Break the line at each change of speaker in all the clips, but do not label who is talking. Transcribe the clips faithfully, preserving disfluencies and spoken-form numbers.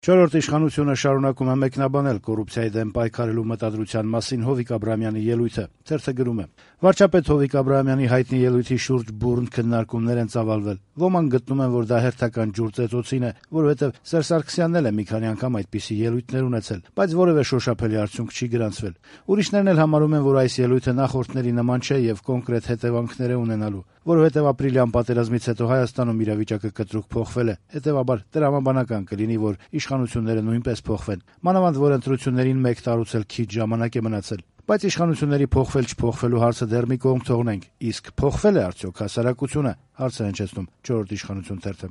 Չորրորդ իշխանությունը շարունակում է մեկնաբանել կոռուպցիայի դեմ պայքարելու մտադրության մասին Հովիկ Աբրահամյանի ելույթը։ Թերթը գրում է. Վարչապետ Հովիկ Աբրահամյանի հայտնի ելույթի շուրջ բուռն քննարկումներ են ծավալվել։ Ոմանք գտնում են, որ դա հերթական ջուր ծեծոցին է, որովհետև Սերժ Սարգսյանն էլ է մի քանի անգամ այդպիսի ելույթներ ունեցել, բայց որևէ շոշափելի արդյունք չի գրանցվել։ Ուրիշներն էլ համարում են, որ այս ելույթը նախորդների նման չէ եւ կոնկրետ հետևանքներ է ունենալու, որովհետև ապրիլյան պատերազմից հետո Հայաստանում իրավիճակը կտրուկ փոխվել է, հետեւաբար տրամաբանական կլինի, որ իշխանությունները նույնպես փոխվեն, մանավանդ որ ընտրություններին մեկ տարուց էլ քիչ ժամանակ է մնացել։ Բայց իշխանությունների փոխվել-չփոխվելու հարցը դեռ մի կողմ թողնենք, իսկ փոխվել է արդյոք հասարակությունը, հարցը հնչեցնում չորրորդ իշխանություն թերթը։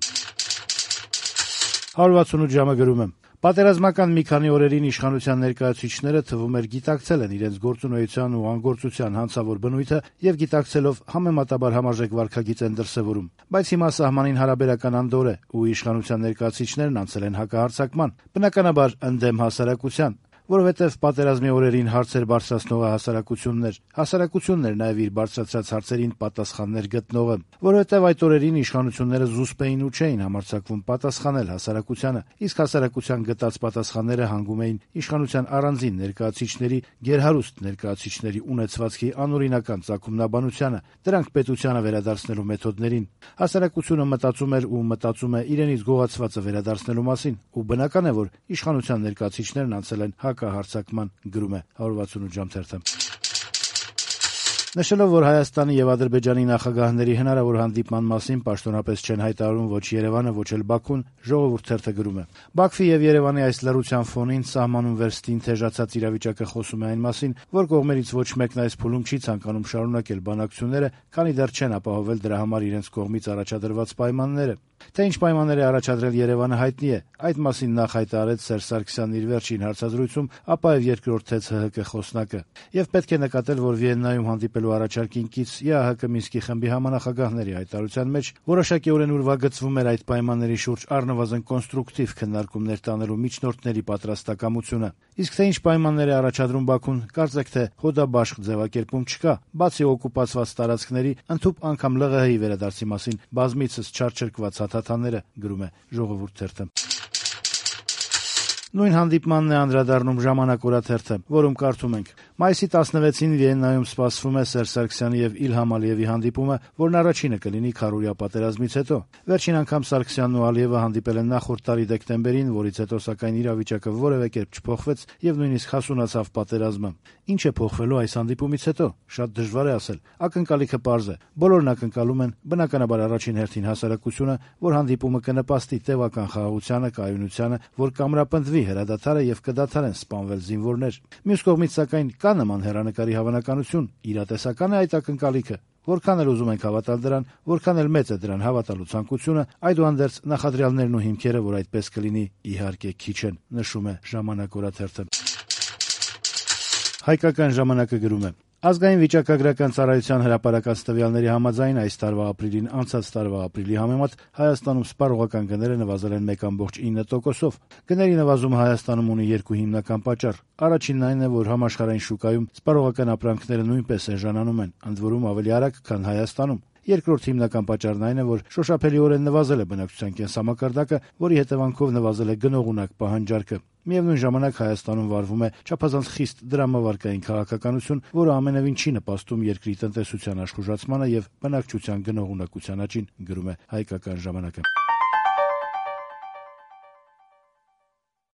հարյուր վաթսունութ ժամը գրում է. Պատերազմական մի քանի օրերին իշխանության ներկայացուցիչները թվում էր գիտակցել են իրենց գործունեության ու անգործության հանցավոր բնույթը եւ գիտակցելով համեմատաբար համարժեք վարքագիծ են դրսեւորում։ Բայց հիմա սահմանին հարաբերական անդոր է ու իշխանության ներկայացուցիչներն անցել են հակահարձակման, բնականաբար ընդդեմ հասարակության, որովհետև պատերազմի օրերին հարցեր բարձրացնողը հասարակությունն էր, հասարակությունն էր նաև իր բարձրացած հարցերին պատասխաններ գտնողը, որովհետև այդ օրերին իշխանությունները զուսպ էին ու չէին համարձակվում պատասխանել հասարակությանը, իսկ հասարակության գտած պատասխանները հանգում էին իշխանության առանձին ներկայացուցիչների, գերհարուստ ներկայացուցիչների ունեցվածքի անօրինական ծագումնաբանությանը, դրանք պետությանը վերադարձնելու մեթոդներին։ Հասարակությունը մտածում էր ու մտածում է իրենից գողացվածը վերադարձնելու մասին, ու բնական է, որ իշխանության ներկայացուցիչներն անցել են հակահարձակման, գրում է հարյուր վաթսունութ ժամ թերթը։ Նշելով, որ Հայաստանի եւ Ադրբեջանի նախագահների հնարավոր հանդիպման մասին պաշտոնապես չեն հայտարարում ոչ Երևանը, ոչ էլ Բաքուն, Ժողովուրդ թերթը գրում է. Բաքվի եւ Երևանի այս լռության ֆոնին սահմանում վերստին թեժացած իրավիճակը խոսում է այն մասին, որ կողմերից ոչ մեկն այս փուլում չի ցանկանում շարունակել բանակցությունները, քանի դեռ չեն ապահովել դրա համար իրենց կողմից առաջադրված պայմանները։ Թե ինչ պայմաններ է առաջադրել Երևանը հայտնի է, այդ մասին նախ հայտարարեց Սերժ Սարգսյանն իր վերջին հարցազրույցում, ապա եւ երկրորդեց ՀՀԿ խոսնակը։ Եվ պետք է նկատել, որ Վիեննայում հանդիպելու առաջարկին կից ԵԱՀԿ Մինսկի խմբի համանախագահների հայտարարության մեջ որոշակիորեն ուրվագծվում էր այդ պայմանների շուրջ առնվազն կոնստրուկտիվ քննարկումներ տանելու միջնորդների պատրաստակամությունը։ Իսկ թե ինչ պայմաններ է առաջադրում Բաքուն, կարծեք թե հոդաբաշխ ձևակերպում չկա, բացի օկուպացված տարածքների, ընդհուպ անգամ ԼՂՀ-ի վերադարձի մասին բազմիցս չարչրկված հաթաթանները, գրում է Ժողովուրդ թերթը։ Նույն հանդիպմանն է անդրադառնում Ժամանակ օրաթերթը, որում կարդում ենք. Մայիսի տասնվեցին Վիեննայում սպասվում է Սերժ Սարգսյանի եւ Իլհամ Ալիևի հանդիպումը, որն առաջինը կլինի քառօրյա պատերազմից հետո։ Վերջին անգամ Սարգսյանն ու Ալիևը հանդիպել են նախորդ տարի դեկտեմբերին, որից հետո սակայն իրավիճակը որևէ կերպ չփոխվեց եւ նույնիսկ հասունացավ պատերազմը։ Ինչ է փոխվելու այս հանդիպումից հետո? Շատ դժվար է ասել։ Ակնկալիքը պարզ է։ Բոլորն ակնկալում են, բնականաբար առաջին հերթին հասարակությունը, որ հանդիպումը կնպաստի տևական խաղաղությանը, կայունությանը, որ կամրապնդվի հրադադարը եւ կդադարեն սպանվել զինվորներ։ Մյուս կողմից սակայն կա նման հեռանկարի հավանականություն, իրատեսական է այդ ակնկալիքը։ Որքան էլ ուզում ենք հավատալ դրան, որքան էլ մեծ է դրան հավատալու ցանկությունը, այդուհանդերձ նախադրյալներն ու հիմքերը, որ այդպես կլինի, իհարկե քիչ են, նշում է Ժամանակ օրաթերթը։ Հայկական ժամանակը գրում է. Ազգային վիճակագրական ծառայության հրապարակած տվյալների համաձայն այս տարվա ապրիլին անցած տարվա ապրիլի համեմատ Հայաստանում սպառողական գները նվազել են մեկ կόμք ինը տոկոսով։ Գների նվազումը Հայաստանում ունի երկու հիմնական պատճառ։ Առաջինն այն է, որ համաշխարհային շուկայում սպառողական ապրանքները նույնպես էժանանում են, ընդ որում ավելի արագ, քան Հայաստանում։ Երկրորդ հիմնական պատճառն այն է, որ շոշափելիորեն նվազել է բնակչության կենսամակարդակը, որի հետևանքով նվազել է գնողունակ պահանջարկը։ Միևնույն ժամանակ Հայաստանում վարվում է չափազանց խիստ դրամավարկային քաղաքականություն, որը ամենևին չի նպաստում երկրի տնտեսության աշխուժացմանը եւ բնակչության գնողունակության աճին, գրում է Հայկական ժամանակը։